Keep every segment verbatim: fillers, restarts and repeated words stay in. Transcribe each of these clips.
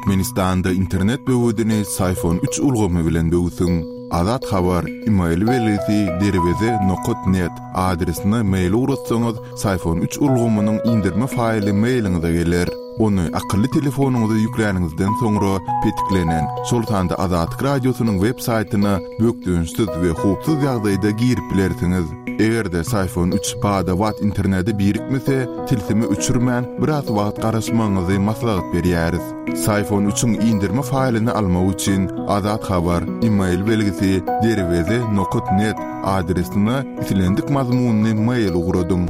Türkmenistanda internet böwedini Syfon üç ulgamy bilen böwsüň. Azat Habar, e-mail belgisi derweze nokat net adresine mail ugratsaňyz, Syfon üç ulgamynyň indirme faýly mailiňize geler. Ony akylly telefonyňyza ýükläniňizden soňra petiklenen, şol sanda Azatlyk radiosynyň web saýtyna bökdençsiz we howpsuz ýagdaýda girip bilersiňiz. Eger-de Syfon üç bada-bat internete birikmese, tilsimi öçürmän biraz wagt garaşmagyňyzy maslahat berýäris. Syfon üçiň indirme faýlyny almak üçin Azat Habar, e-mail belgisi derweze nokat net adresine islendik mazmunyny mail ugradyň.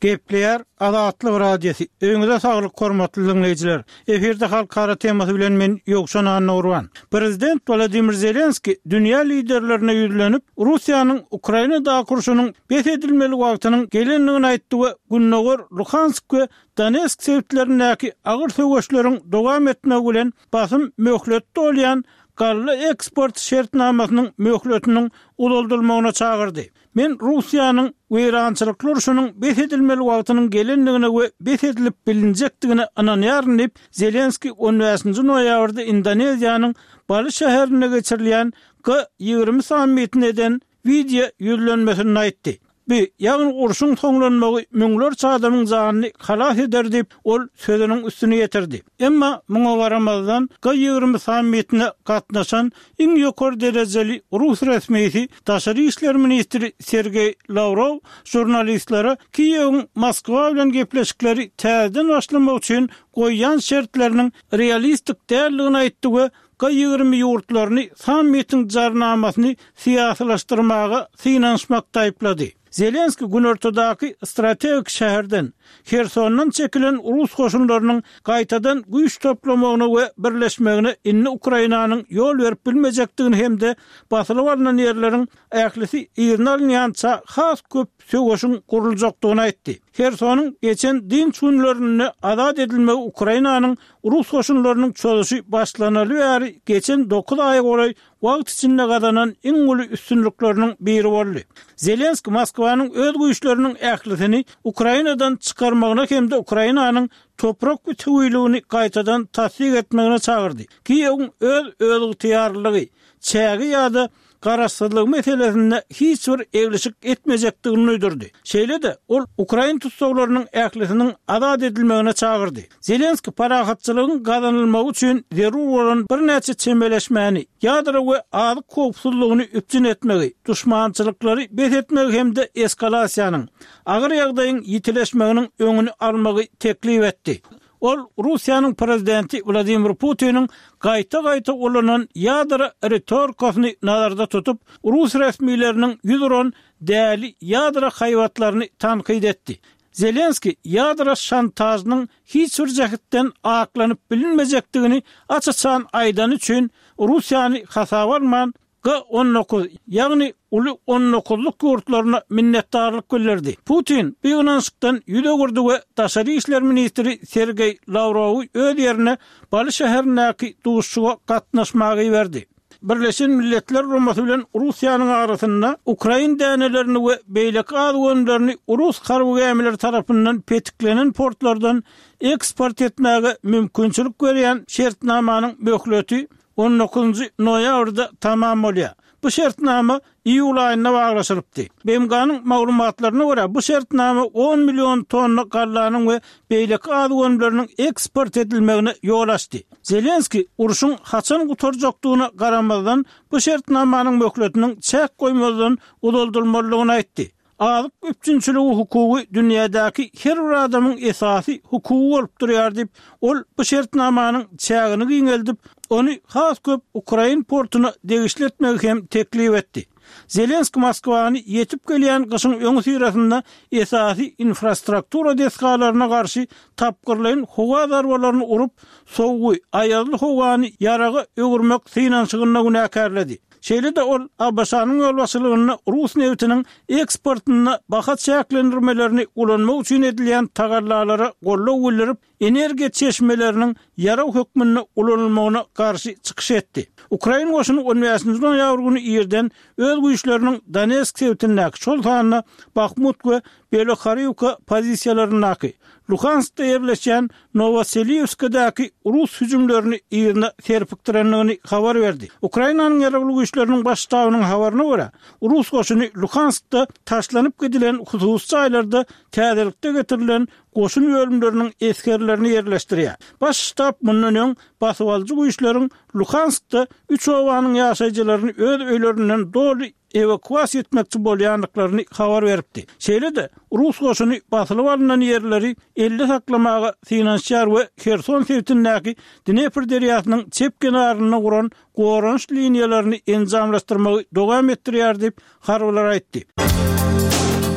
Gepleýär Azatlyk Radiosy. Öňüňize saglyk hormatly dinleýjiler. Efirde halkara temasy bilen men Ýowşan Annurwan. Prezident Wladimir Zelenski dünýä liderlerine ýüzlenip, Russiýanyň Ukrainadaky urşunyň bes edilmeli wagtynyň gelendigini aýtdy we Gündogar Luhansk we Donetsk sebitlerindäki agyr söweşleriň dowam etmegi bilen basym möhletde bolýan galla eksport şertnamasynyň möhletiniň uzaldylmagyna çagyrdy. Men Russiýanyň weýrançylykly urşunyň bes edilmeli wagtynyň gelendigine we bes edilip bilinjekdigine ynanýaryn diýip, Zelenski on bäşinji noýabrda Indoneziýanyň Bali şäherinde geçirilýän G ýigrimi sammitine eden wideo ýüzlenmesinde aýtdy. Bu, ýagny urşuň soňlanmagy müňlerçe adamyň janyny halas eder diýip, ol sözüniň üstüne ýetirdi. Emma muňa garamazdan G ýigrimi sammitine gatnaşan iň ýokary derejeli rus resmisi daşary işler ministri Sergeý Lawrow žurnalistlere Kiýewiň Moskwa bilen gepleşikleri täzeden başlamak üçin goýýan şertleriniň realistik däldigini aýtdy we G ýigrimi ýurtlaryny sammitiň jarnamasyny syýasylaşdyrmaga synanyşmakda aýyplady. Zelenski günortadaky strategik şäherden, Hersondan çekilen rus goşunlarynyň gaýtadan güýç toplamagyna we birleşmegine indi Ukrainanyň ýol berip bilmejekdigini hem-de basylyp alnan ýerleriň ählisi yzyna alynýança has köp söweşiň guruljakdygyny aýtdy. Hersonyň geçen dynç günlerinde azat edilmegi Ukrainanyň rus goşunlarynyň çozuşy başlanaly bäri geçen dokuz aýa golaý wagt içinde gazanan iň uly üstünlikleriniň biri boldy. Zelenski Moskwanyň öz güýçleriniň ählisini Ukrainadan çykarmagyna hem-de Ukrainanyň toprak bütewüligini gaýtadan tassyk etmegine çagyrdy. Kiýewiň öz özygtyýarlylygy, çägi ýa-da garaşsyzlygy meselesinde hiç bir eglişik etmejekdigini duýdurdy. Şeýle-de ol Ukrain tussaglarynyň ählisiniň azat edilmegine çagyrdy. Zelenski parahatçylygyň gazanylmagy üçin zerur bolan birnäçe çemeleşmäni, ýadro we azyk howpsuzlygyny üpjün etmegi, duşmançylyklary bes etmegi hem-de eskalasiýanyň, agyr ýagdaýyň ýitileşmeginiň öňüni almagy teklip etdi. Ol Russiýanyň prezidenti Wladimir Putiniň gaýta-gaýta ulanan ýadro ritorikasyny nazarda tutup, rus resmileriniň ýüz uran däli ýadro haýbatlaryny tankyt etdi. Zelenski ýadro şantajynyň hiç bir jähetden aklanyp bilinmejekdigini aç-açan aýdany üçin Russiýany hasaba alman G on dokuz, ýagny uly on dokuzlyk ýurtlaryna minnetdarlyk bildirdi. Putin bu ýygnanyşykdan ýüz öwürdi we daşary işler ministri Sergeý Lawrowy öz ýerine Bali şäherindäki duşuşyga gatnaşmaga iberdi. Birleşen Milletler Guramasy bilen Russiýanyň arasynda Ukrain dänelerini we beýleki azyk önümlerini rus harby gämileri tarapyndan petiklenen portlardan eksport etmäge mümkinçilik berýän şertnamanyň möhleti on dokuzynjy noýabrda tamam bolýar. Bu şertnama iýul aýynda baglaşylypdy. B M G-nyň maglumatlaryna görä, bu şertnama on million tonna gallanyň we beýleki azyk önümleriniň eksport edilmegine ýol açdy. Zelenski urşuň haçan gutarjakdygyna garamazdan, bu şertnamanyň möhletiniň çäk goýmazdan uzaldylmalydygyny aýtdy. Azyk üpjünçiligi hukugy dünýädäki her bir adamyň esasy hukugy bolup durýar diýip, ol bu şertnamanyň çägini giňeldip, ony has köp Ukrain portuna degişli etmegi hem teklip etdi. Zelenski Moskwany ýetip gelýän gyşyň öňüsyrasynda esasy infrastruktura desgalaryna garşy tapgyrlaýyn howa zarbalaryny urup, sowugy, aýazly howany ýaraga öwürmek synanyşygynda günäkärledi. Şeýle-de ol ABŞ-nyň ýolbaşçylygynda rus nebitiniň eksportynda baha çäklendirmelerini ulanmak üçin edilýän tagallalara goldaw bildirip, energiýa çeşmeleriniň ýarag hökmünde ulanylmagyna garşy çykyş etdi. Ukrain goşuny on bäşinji noýabr güni irden öz güýçleriniň Donetsk sebitindäki, şol sanda Bahmut we Belohariwka pozisiýalaryndaky, Luhanskda ýerleşýän Nowoseliwskadäki rus hüjümlerini yzyna serpikdirendigini habar berdi. Ukrainanyň Ýaragly güýçleriniň Baş ştabynyň habaryna görä, rus goşuny Luhanskda taşlanyp gidilen hususy jaýlarda täzelikde getirilen goşun bölümleriniň esgerlerini ýerleşdirýär. Baş ştab mundan öň basybalyjy güýçleriň Luhanskda üç obanyň ýaşaýjylaryny öz öýlerinden doly ewakuasiýa etmekçi bolýandyklaryny habar beripdi. Şeýle-de, rus goşuny basylyp alnan ýerleri elde saklamaga synanyşýar we Herson sebitindäki Dnepr derýasynyň çep kenarynda guran goranyş liniýalaryny enjamlaşdyrmagy dowam etdirýär diýip, harbylar aýtdy.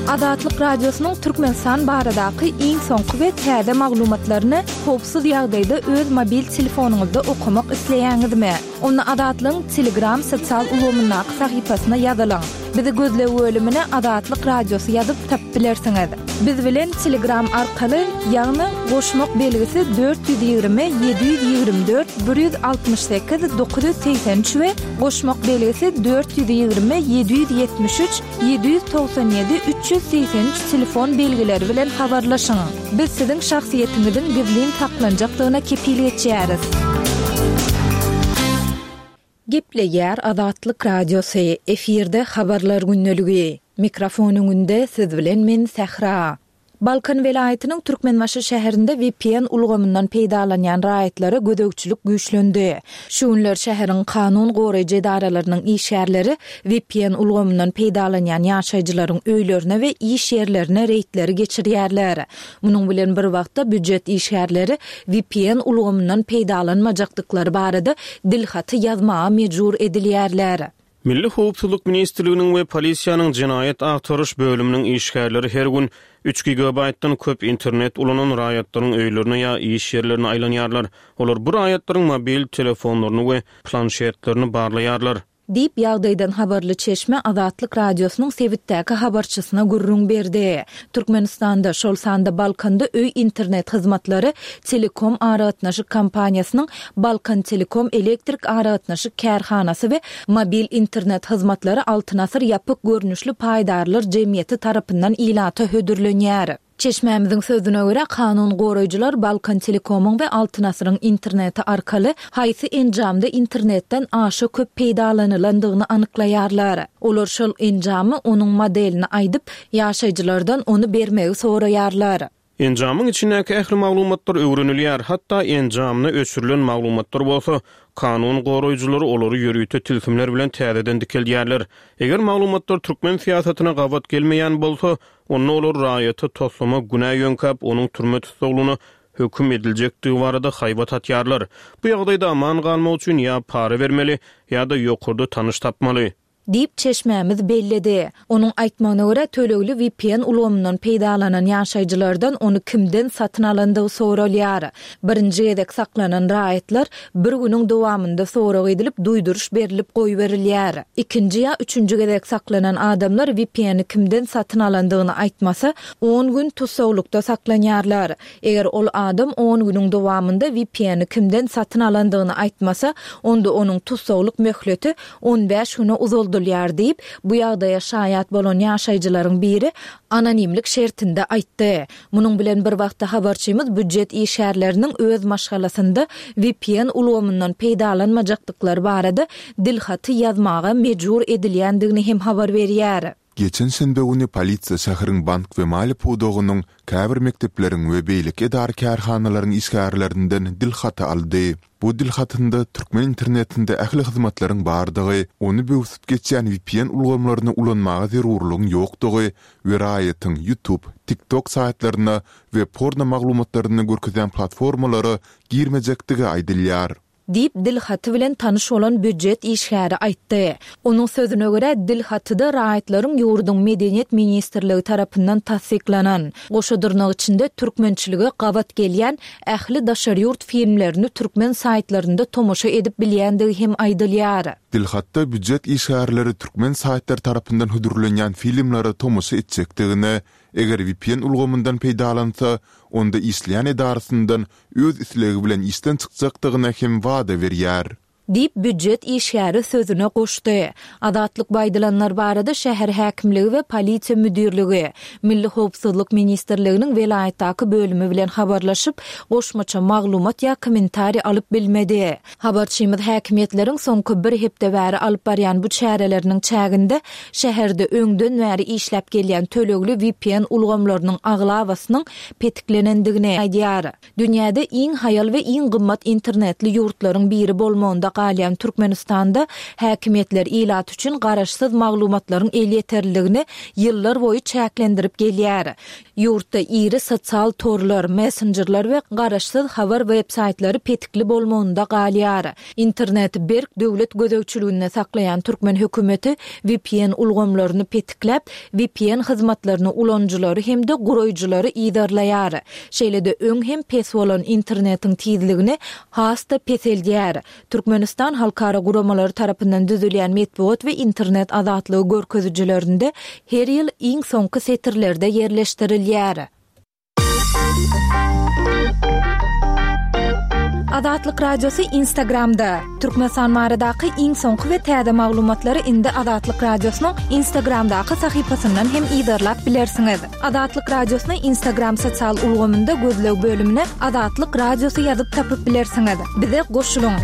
Azatlyk Radiosynyň Türkmenistan baradaky iň soňky we täze maglumatlaryny howpsuz ýagdaýda öz mobil telefonyňyzda okamak isleýäňizmi? Onda Azatlygyň Telegram sosial ulgamyndaky sahypasyna ýazylyň. Bizi gözleg bölümine Azatlyk Radiosy ýazyp tapyp bilersiňiz. Biz bilen Telegram arkaly, ýagny goşmak belgisi dört ýüz ýigrimi ýedi ýüz ýigrimi dört bir ýüz altmyş sekiz dokuz ýüz segsen üç we goşmak belgisi dört ýüz ýigrimi ýedi ýüz ýetmiş üç ýedi ýüz togsan ýedi üç ýüz segsen üç telefon belgileri bilen habarlaşyň. Biz siziň şahsyýetiňiziň gizlin saklanjakdygyna kepil geçýäris. Gepleýär Azatlyk Radiosy, efirde habarlar gündeligi. Mikrofon öňünde siz bilen men Sähra. Balkan welaýatynyň Türkmenbaşy şäherinde V P N ulgamyndan peýdalanýan raýatlara gözegçilik güýçlendi. Şu günler şäheriň kanun goraýjy edaralarynyň işgärleri V P N ulgamyndan peýdalanýan ýaşaýjylaryň öýlerine we iş ýerlerine reýdleri geçirýärler. Munuň bilen bir wagtda býujet işgärleri V P N ulgamyndan peýdalanmajakdyklary barada dilhaty ýazmaga mejbur edilýärler. Milli Howpsuzlyk Ministrliginiň we polisiýanyň jenaýat agtaryş bölüminiň işgärleri her gün üç gigabaytdan köp internet ulanan raýatlaryň öýlerine ýa iş ýerlerine aýlanýarlar. Olar bu raýatlaryň mobil telefonlaryny we planşetlerini barlaýarlar. Diýip ýagdaýdan habarly çeşme Azatlyk Radiosynyň sebitdäki habarçysyna gürrüň berdi. Türkmenistanda, şol sanda Balkanda öý internet hyzmatlary Telekom aragatnaşyk kompaniýasynyň Balkan Telekom elektrik aragatnaşyk kärhanasy we mobil internet hyzmatlary Altyn Asyr ýapyk görnüşli paýdarlar jemgyýeti tarapyndan ilata hödürlenýär. Çeşmämiziň sözüne görä, kanun goraýjylar Balkan Telekomyň we Altyn Asyryň interneti arkaly haýsy enjamda internetden aşa köp peýdalanylandygyny anyklaýarlar. Olar şol enjamy onuň modelini aýdyp, ýaşaýjylardan ony bermegi soraýarlar. Enjamyň içindäki ähli maglumatlar öwrenilýär, hatda enjamda öçürilen maglumatlar bolsa, kanun goraýjylary olary ýörite tilsimler bilen täzeden dikeldýärler. Eger maglumatlar türkmen syýasatyna gabat gelmeýän bolsa, onda olar raýata toslama günä ýöňkäp, onuň türme tussaglygyna höküm ediljekdigi barada haýbat atýarlar. Bu ýagdaýda aman galmak üçin ýa para bermeli, ýa-da ýokarda tanyş tapmaly. Diýip çeşmämiz belledi. Onuň aýtmagyna görä, tölegli V P N ulgamyndan peýdalanan ýaşaýjylardan ony kimden satyn alandygy soralýar. Birinji gezek saklanan raýatlar bir günüň dowamynda sorag edilip, duýduryş berilip goýberilýär. Ikinji ýa üçünji gezek saklanan adamlar V P N-i kimden satyn alandygyny aýtmasa, on gün tussaglykda saklanýarlar. Eger ol adam on günüň dowamynda V P N-i kimden satyn alandygyny aýtmasa, onda onuň tussaglyk möhleti on bäş güne uzaldylýar diýip, bu ýagdaýa şaýat bolan ýaşaýjylaryň biri anonimlik şertinde aýtdy. Munuň bilen bir wagtda habarçymyz býujet işgärleriniň öz maşgalasynda V P N ulgamyndan peýdalanmajakdyklary barada dilhaty ýazmaga mejbur edilýändigini hem habar berýär. Geçen şenbe güni polisiýa şäheriň bank we maliýe pudagynyň käbir mekdepleriň we beýleki edara kärhanalaryň işgärlerinden dilhaty aldy. Bu dilhatynda türkmen internetinde ähli hyzmatlaryň bardygy, ony böwsüp geçýän V P N ulgamlaryny ulanmaga zerurlygyň ýokdugy we raýatyň YouTube, TikTok saýtlaryna we porno maglumatlaryny görkezýän platformalara girmejekdigi aýdylýar. Diýip dilhaty bilen tanyş bolan býujet işgäri aýtdy. Onuň sözüne görä, dilhatyda raýatlaryň ýurduň Medeniýet ministrligi tarapyndan tassyklanan, goşa dyrnak içinde türkmençilige gabat gelýän ähli daşary ýurt filmlerini türkmen saýtlarynda tomaşa edip bilýändigi hem aýdylýar. Dilhatda býujet işgärleri türkmen saýtlary tarapyndan hödürlenýän filmlere tomaşa etjekdigine, eger V P N ulgamyndan peýdalansa, onda işleýän edarasyndan öz islegi bilen işden çykjakdygyna hem wada berýär. Diýip, býujet işgäri sözüne goşdy. Azatlyk bu aýdylanlar barada şäher häkimligi we polisiýa müdirligi, Milli howpsuzlyk ministrliginiň welaýatdaky bölümi bilen habarlaşyp, goşmaça maglumat ýa kommentariý alyp bilmedi. Habarçymyz häkimiýetleriň soňky bir hepde bäri alyp barýan bu çäreleriniň çäginde şäherde öňden bäri işläp gelýän tölegli V P N ulgamlarynyň aglabasynyň petiklenendigini aýdýar. Dünýäde iň haýal we iň gymmat internetli ýurtlaryň biri bolmagynda galýan Türkmenistanda häkimiýetler ilat üçin garaşsyz maglumatlaryň elýeterliligini ýyllar boýy çäklendirip gelýär. Ýurtda iri sosial torlar, messenjerler we garaşsyz habar web-saýtlary petikli bolmagynda galýar. Interneti berk döwlet gözegçiliginde saklaýan türkmen hökümeti V P N ulgamlaryny petikläp, V P N hyzmatlaryny ulanyjylary hem-de guraýjylary yzarlaýar. Şeýle-de öň hem pes bolan internetiň tizligini has-da peseldýär. Türkmenistan halkara guramalary tarapyndan düzülýän metbugat we internet azatlygy görkezijilerinde her ýyl iň soňky setirlerde ýerleşdirilýär. Azatlyk Radiosy Instagramda. Türkmenistan baradaky iň soňky we täze maglumatlary indi Azatlyk Radiosynyň Instagramdaky sahypasyndan hem yzarlap bilersiňiz. Azatlyk Radiosyny Instagram sosial ulgamynda gözleg bölümine Azatlyk Radiosy ýazyp tapyp bilersiňiz. Bize goşulyň.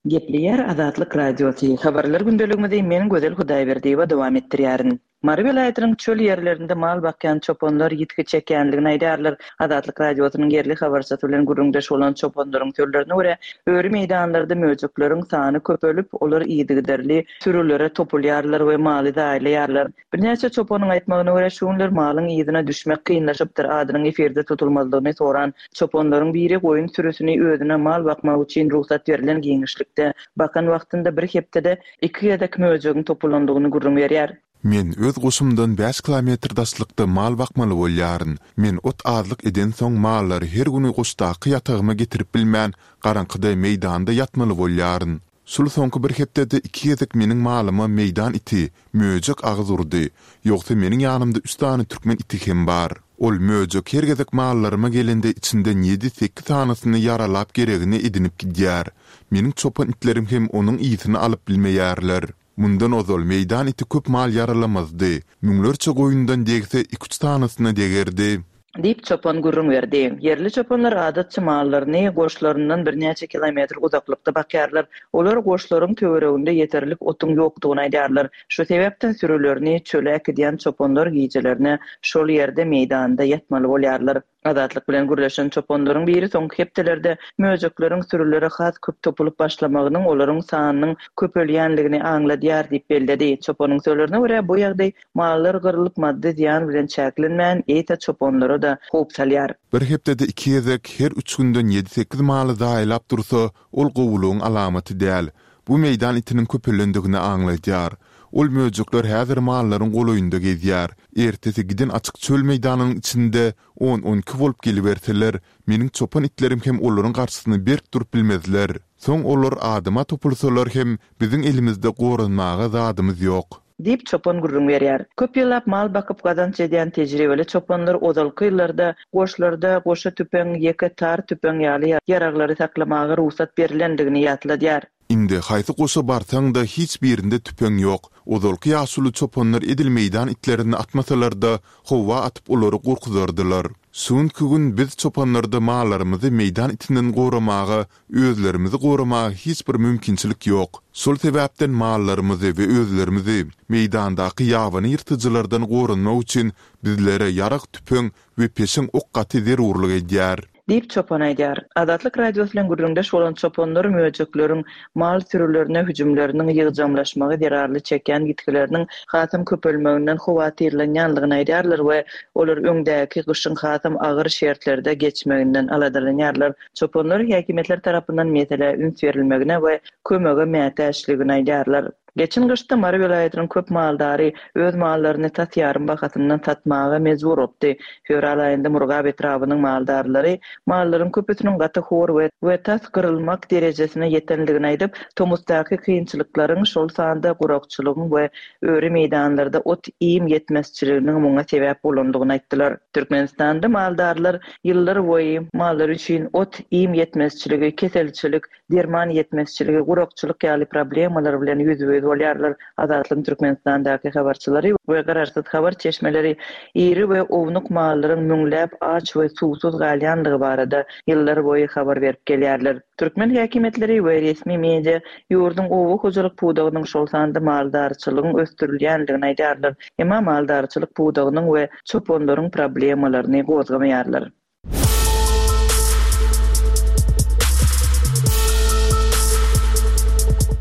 Gepleýär Azatlyk Radiosy. Habarlar gündeligimizi men Gözel Hudaýberdiýewa dowam etdirýärin. Mary welaýatynyň çöl ýerlerinde mal bakýan çopanlar ýitgi çekýänligini aýdýarlar. Azatlyk Radiosynyň ýerli habarçysy bilen gürrüňdeş bolan çopanlaryň sözlerine görä, öri meýdanlarda möjekleriň sany köpelip, olar yzygiderli sürülere topulýarlar we maly zaýalaýarlar. Birnäçe çopanyň aýtmagyna görä, şu günler malyň yzyna düşmek kynlaşypdyr. Adynyň efirde tutulmazlygyny soran çopanlaryň biri goýun sürüsini özüne mal bakmak üçin rugsat berlen giňişlikde bakan wagtynda bir hepdede iki gezek möjegiň topulandygyny gürrüň berýär. Men öz goşumdan bäş kilometr daşlykda mal bakmaly bolýaryn. Men ot azlyk edensoň mallary her güni goşdaky ýatagyma getirip bilmän, garaňkyda meýdanda ýatmaly bolýaryn. Şul soňky bir hepdede iki gezek meniň malyma meýdan iti, möjek agyz urdy. Ýogsa meniň ýanymda üç sany türkmen iti hem bar. Ol möjek her gezek mallaryma gelende içinden ýedi-sekiz sanysyny ýaralap geregini edinip gidýär. Meniň çopan itlerim hem onuň ysyny alyp bilmeýärler. Mundan ozal meýdan iti köp mal ýaralamazdy. Müňlerçe goýundan degse iki-üç sanysyna degerdi. Diýip çopan gürrüň berdi. Ýerli çopanlar adatça mallaryny goşlaryndan birnäçe kilometr uzaklykda bakýarlar. Olar goşlaryň töwereginde ýeterlik otuň ýokdugyny aýdýarlar. Şu sebäpden sürülerini çöle äkidýän çopanlar gijelerine şol ýerde meýdanda ýatmaly bolýarlar. Azatlyk bilen gürleşen çopanlaryň biri soňky hepdelerde möjekleriň sürülere has köp topulyp başlamagynyň olaryň sanynyň köpelýänligini aňladýar diýip belledi. Çopanyň sözlerine görä, bu ýagdaý mallar gyrylyp maddy zyýan bilen çäklenmän, eýse çopanlara da howp salýar. Bir hepdede iki gezek her üç günden ýedi-sekiz maly zaýalap dursa, ol gowulygyň alamaty däl. Bu meýdan itiniň köpelendigini aňladýar. Ol möjekler häzir mallaryň golaýynda gezýär. Ertesi giden açyk çöl meýdanynyň içinde on-on iki bolup geliberseler, meniň çopan itlerim hem olaryň garşysyna berk durup bilmezler. Soň olar adama topulsalar hem biziň elimizde goranmaga zadymyz ýok. Diýip çopan gürrüň berýär. Köp ýyllap mal bakyp gazanç edýän tejribeli çopanlar ozalky ýyllarda goşlarda goşa tüpeň, ýeke tar tüpeň ýaly ýaraglary saklamaga rugsat berilendigini ýatladýar. Indi haýsy goşa barsaň-da hiç birinde tüpeň ýok. Ozalky ýaşuly çopanlar edil meýdan itlerini atmasalar-da, howa atyp olary gorkuzardylar. Şu gün biz çopanlarda mallarymyzy meýdan itinden goramaga, özlerimizi goramaga hiç bir mümkinçilik ýok. Şol sebäpden mallarymyzy we özlerimizi meýdandaky ýabany ýyrtyjylardan goranmak üçin bizlere ýarag tüpeň we peşeň ok gaty zerurlyk edýär. Diýip çopan aýdýar. Azatlyk Radiosy bilen gürrüňdeş bolan çopanlar möjekleriň mal sürülerine hüjümleriniň ýygjamlaşmagy zerarly çekýän ýitgileriniň hasam köpelmeginden howatyrlanýanlygyny aýdýarlar we olar öňdäki gyşyň hasam agyr şertlerde geçmeginden aladalanýarlar. Çopanlar häkimiýetler tarapyndan meselä üns berilmegine we kömege mätäçligini aýdýarlar. Geçen gyşda Mary welaýatynyň köp maldary öz mallaryny tas ýarym bahasyndan satmaga mejbur bolupdy. Fewral aýynda Murgap etrabynyň maldarlary mallaryň köpüsiniň gaty hor we we tas gyrylmak derejesine ýetenligini aýdyp, tomusdaky kynçylyklaryň, şol sanda gurakçylygyň we öri meýdanlarda ot-iým ýetmezçiliginiň muňa sebäp bolandygyny aýtdylar. Türkmenistanda maldarlar ýyllar boýy mallar üçin ot-iým ýetmezçiligi, keselçilik, derman ýetmezçiligi, gurakçylyk ýaly problemalar bilen ýüzbe-ýüz bolýarlar. Azatlygyň Türkmenistandaky habarçylary we garaşsyz habar çeşmeleri iri we ownuk mallaryň müňläp aç we suwsuz galýanlygy barada ýyllar boýy habar berip gelýärler. Türkmen häkimiýetleri we resmi media ýurduň oba hojalyk pudagynyň, şol sanda maldarçylygyň ösdürilýänligini aýdýarlar. Emma maldarçylyk pudagynyň we çopanlaryň problemalaryny gozgamaýarlar.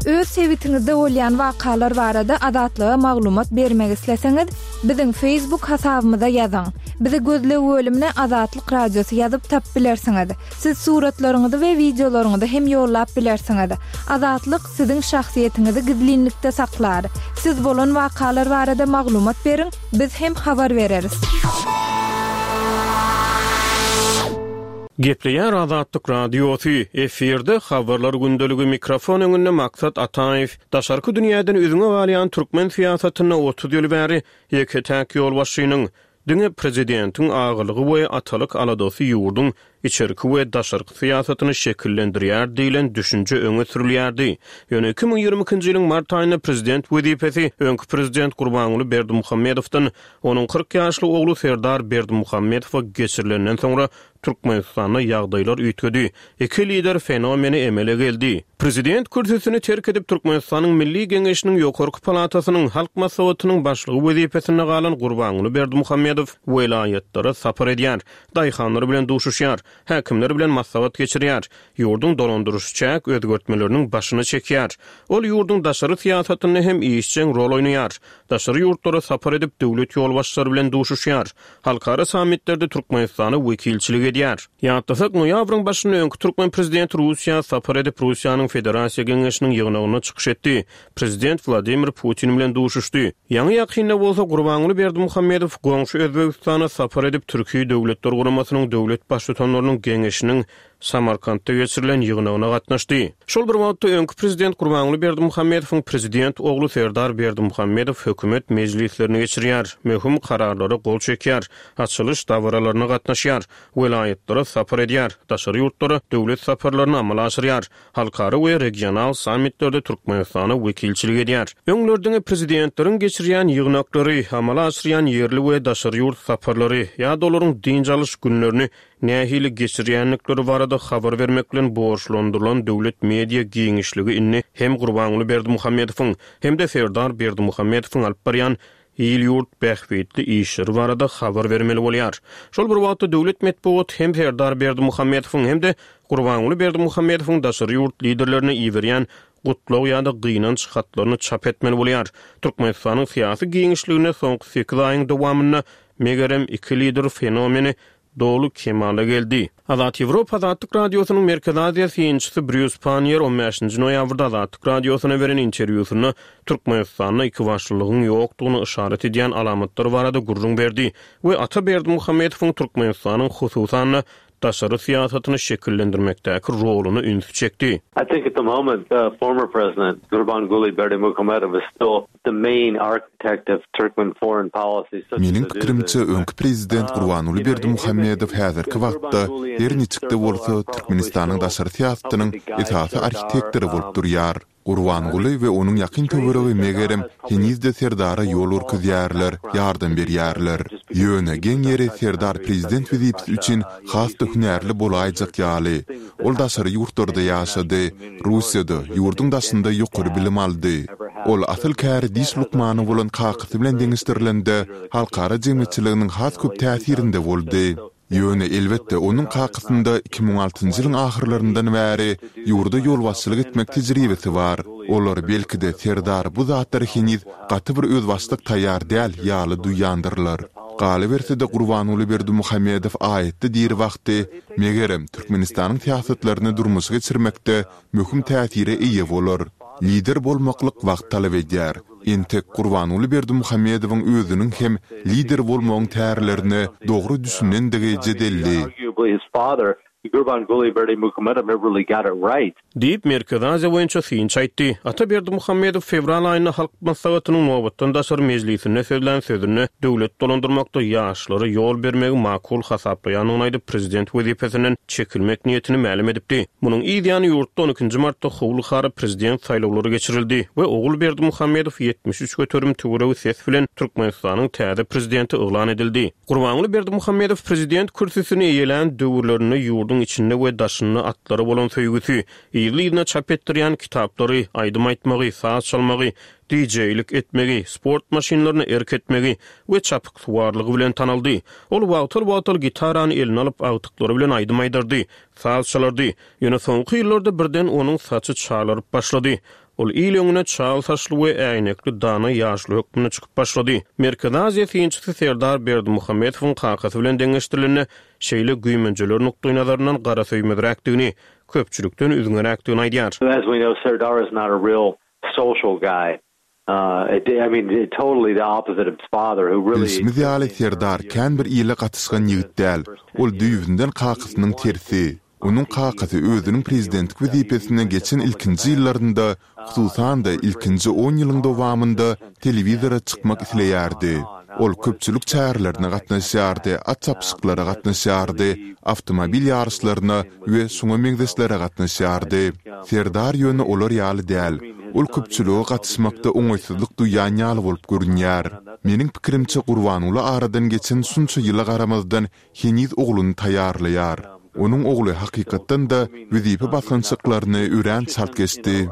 Öz sebitiňizde bolýan wakalar barada Azatlyga maglumat bermek isleseňiz, biziň Facebook hasabymyza ýazyň. Bizi gözleg bölümine Azatlyk Radiosy ýazyp tapyp bilersiňiz. Siz suratlaryňyzy we wideolaryňyzy hem ýollap bilersiňiz. Azatlyk siziň şahsyýetiňizi gizlinlikde saklar. Siz bolan wakalar barada maglumat beriň, biz hem habar bereris. Gepleýär Azatlyk Radiosy, efirde habarlar gündeligi, mikrofon öňünde Maksat Ataýew. Daşarky dünýäden üzňe galýan türkmen syýasatynda otuz ýyl bäri ýeke-täk ýolbaşçynyň, diňe prezidentiň agalygy we atalyk aladasy ýurduň içerki we daşarky syýasatyny şekillendirýär diýlen düşünje öňe sürülýärdi. Ýöne iki müň ýigrimi ikinji ýylyň mart aýynda prezident wezipesi öňki prezident Gurbanguly Berdimuhamedowdan onuň kyrk ýaşly ogly Serdar Berdimuhamedowa geçirilenden soňra Türkmenistanda ýagdaýlar üýtgedi. Iki lider fenomeni emele geldi. Prezident kürsüsini terk edip Türkmenistanyň Milli Geňeşiniň Ýokarky palatasynyň Halk Maslahatynyň başlygy wezipesinde galan Gurbanguly Berdimuhamedow welaýatlara sapar edýär, daýhanlar bilen duşuşýar, häkimler bilen maslahat geçirýär, ýurduň dolandyryş çäk özgertmeleriniň başyny çekýär. Ol ýurduň daşary syýasatynda hem işjeň rol oýnaýar. Daşary ýurtlara sapar edip döwlet ýolbaşçylary bilen duşuşýar. Halkara sammitlerde Türkmenistana wekilçilik edýär. Ýatlasak, noýabryň başynda öňki türkmen prezidenti Russiýa sapar edip Russiýanyň Federasiýa Geňeşiniň ýygnagynda çykyş etdi. Prezident Wladimir Putin bilen duşuşdy. Ýaňy ýakynda bolsa Gurbanguly Berdimuhamedow goňşy Özbegistana sapar edip Türkiýe Döwletler Guramasynyň döwlet baştutanlarynyň geňeşiniň Samarkantda geçirilen ýygnagyna gatnaşdy. Şol bir wagtda öňki prezident Gurbanguly Berdimuhamedowyň prezident ogly Serdar Berdimuhamedow hökümet mejlislerini geçirýär, möhüm kararlara gol çekýär, açylyş dabaralaryna gatnaşýar, welaýatlara sapar edýär, daşary ýurtlara döwlet saparlaryny amala aşyrýar, halkara we regional sammitlerde Türkmenistana wekilçilik edýär. Öňler diňe prezidentleriň geçirýän ýygnaklary, amala aşyrýan ýerli we daşary ýurt saparlary ýa-da olaryň dynç alyş günlerini nähili geçirýändikleri barada habar bermek bilen borçlandyrylan döwlet media giňişligi indi hem Gurbanguly Berdimuhamedowyň hem-de Serdar Berdimuhamedowyň alyp barýan il-ýurt bähbitli işleri barada habar bermeli bolýar. Şol bir wagtda döwlet metbugat hem Serdar Berdimuhamedowyň hem-de Gurbanguly Berdimuhamedowyň daşary ýurt liderlerine iberýän gutlag ýa-da gynanç hatlaryny çap etmeli bolýar. Türkmenistanyň syýasy giňişliginde soňky sekiz aýyň dowamynda megerem iki lider fenomeni doly kemala geldi. Azat Ýewropa Azatlyk Radiosynyň Merkezi Aziýa synçysy Brýus Pannier on bäşinji noýabrda Azatlyk Radiosyna beren interwýusynda Türkmenistanda iki başlylygyň ýokdugyny yşarat edýän alamatlar barada gürrüň berdi we Ata Berdimuhamedowyň Türkmenistanyň hususan-da daşary syýasatyny şekillendirmekdäki roluny ünsi çekdi. I think at the moment, uh, former president Gurbanguly Berdimuhamedow is still the main architect of Turkmen foreign policy. Such Meniň as it is pikirimçe, in öňki prezident Um, Gurbanguly you know, Berdimuhamedow him and häzirki wagtda Gurbanguly and her his niçikde circle bolsa are probably Türkmenistanyň still daşary syýasatynyň helping to guide esasy Serdar, arhitektory bolup um, durýar. Gurbanguly we onuň ýakyn töweregi megerem henizde Serdara ýol görkezýärler, ýardam berýärler. Ýöne geň ýeri Serdar prezident wezipesi üçin has-da hünärli bolaýjak ýaly. Ol daşary ýurtlarda ýaşady, Russiýada, ýurduň daşynda ýokary bilim aldy. Ol asyl käri diş lukmany bolan kakasy bilen deňeşdirilende halkara jemgyýetçiliginiň has köp täsirinde boldy. Ýöne elbetde onuň kakasynda iki müň altynjy ýylyň ahyrlaryndan bäri ýurda ýolbaşçylyk etmek tejribesi bar. Olar belki-de Serdar bu zatlary heniz gaty bir özbaşdak taýýar däl ýaly duýýandyrlar. Galyberse-de Gurbanguly Berdimuhamedow aýatda diri wagty megerem Türkmenistanyň syýasatlaryny durmuşa geçirmekde möhüm täsire eýe bolar. Lider bolmaklyk wagt talap edýär. Entek Gurbanguly Berdimuhamedowyň özüniň hem lider bolmagyň tärlerine dogry düşünendigi jedelli. Gurbanguly Berdimuhamedow never really got it right. Diýip, Merkezi Aziýa boýunça synçy aýtdy. Ata Berdimuhamedow fewral aýynda Halk Maslahatynyň nobatdan daşary mejlisinde sözlän sözünde döwlet dolandyrmakda ýaşlara ýol bermegi makul hasaplaýandygyny aýdyp, prezident wezipesinden çekilmek niýetini mälim edipdi. Munuň yz ýany ýurtda on ikinji martda howly-hara prezident saýlawlary geçirildi we Ogul Berdimuhamedow ýetmiş üç göterim töweregi ses bilen Türkmenistanyň täze prezidenti yglan edildi. Gurbanguly Berdimuhamedow prezident kürsüsini eýelän döwürlerinde ýurduň içinde we daşynda atlara bolan söýgüsi, yzly-yzyna çap etdirýän kitaplary, aýdym aýtmagy, saz çalmagy, DJ-lik etmegi, sport maşynlaryna erk etmegi we çapyksuwarlygy bilen tanaldy. Ol wagtal-wagtal gitarany eline alyp, agtyklary bilen aýdym aýdardy, saz çalardy. Ýöne soňky ýyllarda birden onuň saçy çalaryp başlady. Ol il öňüne çal saçly we äýnekli dana ýaşuly hökmünde çykyp başlady. Merkezi Aziýa synçysy Serdar Berdimuhamedowyň kakasy bilen deňeşdirilende, şeýle güýmenjeler nukdaýnazaryndan garasöýmezräkdigini, köpçülikden üzňeräkdigini aýdýar. As we know, Serdar is not a real social guy. I mean, totally the opposite of his father, who really Bilşimiz ýaly, Serdar kän bir ile gatyşgan ýigit däl. Ol düýbünden kakasynyň tersi. Onuň kakasy özüniň prezidentlik wezipesine geçen ilkinji ýyllarynda, hususan-da, ilkinji on ýylyň dowamynda telewizora çykmak isleýärdi. Ol köpçülik çärelerine gatnaşýardy, at çapyşyklara gatnaşýardy, awtomobil ýaryşlaryna we şuňa meňzeşlere gatnaşýardy. Serdar ýöne olar ýaly däl. Ol köpçülige gatyşmakda oňaýsyzlyk duýýan ýaly bolup görünýär. Meniň pikirimçe, Gurbanguly aradan geçen şunça ýyla garamazdan heniz ogluny taýýarlaýar. Onuň ogly hakykatdan-da wezipe basgançaklaryny örän çalt geçdi.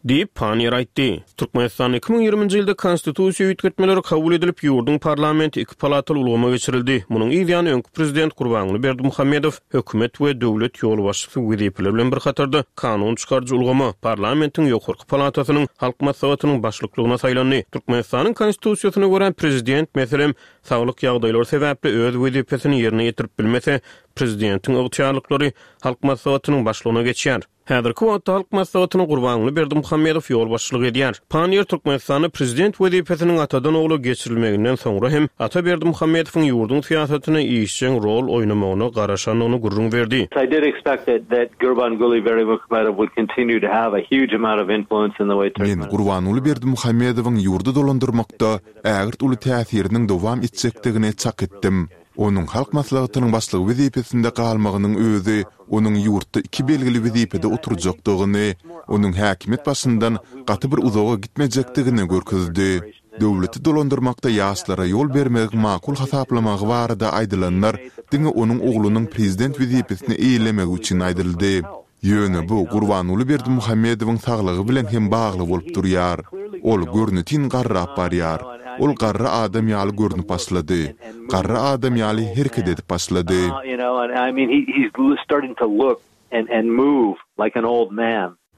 Diýip, Panniýer aýtdy. Türkmenistanda iki müň ýigriminji ýylda konstitusiýa üýtgetmeleri kabul edilip, ýurduň parlamenti iki palataly ulgama geçirildi. Munuň yz ýany öňki prezident Gurbanguly Berdimuhamedow hökümet we döwlet ýolbaşçysy wezipeleri bilen bir hatarda kanun çykaryjy ulgama, parlamentiň ýokarky palatasynyň Halk Maslahatynyň başlyklygyna saýlandy. Türkmenistanyň Konstitusiýasyna görä, prezident, meselem, saglyk ýagdaýlary sebäpli öz wezipesini ýerine ýetirip bilmese, prezidentiň ygtyýarlyklary Halk Maslahatynyň başlygyna geçýär. Häzirki wagtda Halk Maslahatyna Gurbanguly Berdimuhamedow ýolbaşçylyk edýär. Panniýer Türkmenistanda prezident wezipesiniň atadan ogla geçirilmeginden soňra hem Ata Berdimuhamedowyň ýurduň syýasatyna işjeň rol oýnamagyna garaşandygyny gürrüň berdi. I did expect that that Gurbanguly Berdimuhamedow would continue to have a huge amount of influence in the way Men Gurbanguly Berdimuhamedowyň ýurdy dolandyrmakda ägirt uly täsiriniň dowam etjekdigini çak etdim. Onuň Halk Maslahatynyň başlygy wezipesinde galmagynyň özi onuň ýurtda iki belgili wezipede oturjakdygyny, onuň häkimiýet başyndan gaty bir uzaga gitmejekdigini görkezdi. Döwleti dolandyrmakda ýaşlara ýol bermegiň makul hasaplamagy barada aýdylanlar diňe onuň oglunyň prezident wezipesini eýelemegi üçin aýdyldy. Ýöne bu Gurbanguly Berdimuhamedowyň saglygy bilen hem bagly bolup durýar. Ol görnetin garrap barýar. Ol garry adam ýaly görnüp başlady. Garry adam ýaly hereket edip başlady.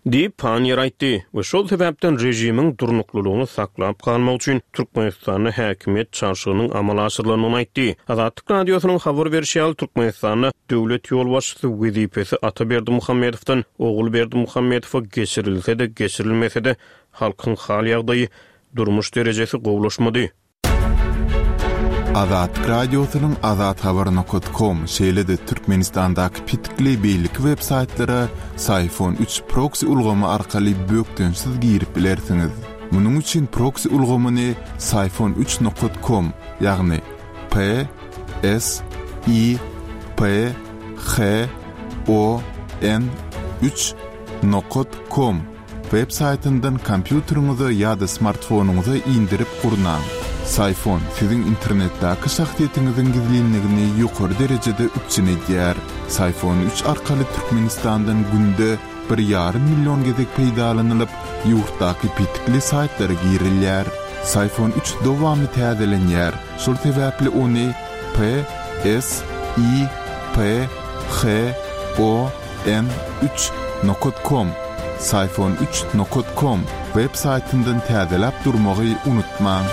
Diýip, Panniýer aýtdy we şol sebäpden režimiň durnuklylygyny saklap galmak üçin Türkmenistanda häkimiýet çalşygynyň amala aşyrylandygyny aýtdy. Azatlyk Radiosynyň habar berşi ýaly, Türkmenistanda döwlet ýolbaşçysy wezipesi Ata Berdimuhamedowdan Ogul Berdimuhamedowa geçirilse-de, geçirilmese-de, halkyň hal-ýagdaýy, durmuş derejesi gowulaşmady. Azatlyk Radiosynyň azathabar nokat kom, şeýle-de Türkmenistandaky petikli beýleki web saýtlara Syfon üç proksi ulgamy arkaly bökdençsiz girip bilersiňiz. Munuň üçin proksi ulgamyny Syfon üç nokat kom, ýagny P S I P H O N üç nokat kom web saýtyndan kompýuteriňize ýa-da smartfonyňyza indirip gurnaň. Syfon siziň internetdäki şahsyýetiňiziň gizlinligini ýokary derejede üpjün edýär. Syfon üç arkaly Türkmenistandan günde bir ýarym million gezek peýdalanylyp, ýurtdaky petikli saýtlara girilýär. Syfon üç dowamly täzelenýär, şol sebäpli ony P S I P H O N üç nokat kom, Syfon üç nokat kom web saýtyndan täzeläp durmagy unutmaň.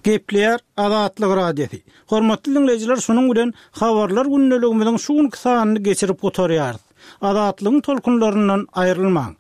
Gepleýär Azatlyk Radiosy. Hormatly diňleýjiler, şunuň bilen Habarlar gündeligimiziň şu günki sanyny geçirip gutarýarys. Azatlygyň tolkunlaryndan aýrylmaň.